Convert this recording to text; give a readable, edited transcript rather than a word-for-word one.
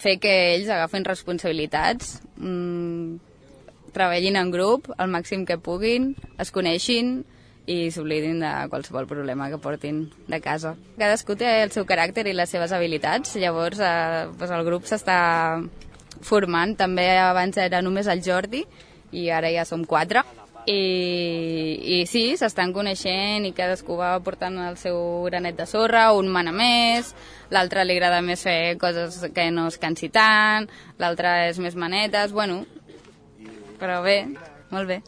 fer que ells agafin responsabilitats, treballin en grup el màxim que puguin, es coneixin i s'oblidin de qualsevol problema que portin de casa. Cadascú té el seu caràcter i les seves habilitats, llavors el grup s'està formant. També abans era només el Jordi i ara ja som 4. I sí, s'estan coneixent i cadascú va portant el seu granet de sorra, un mana més, l'altre li agrada més fer coses que no es cansi tant, l'altre és més manetes, bueno, però bé, molt bé.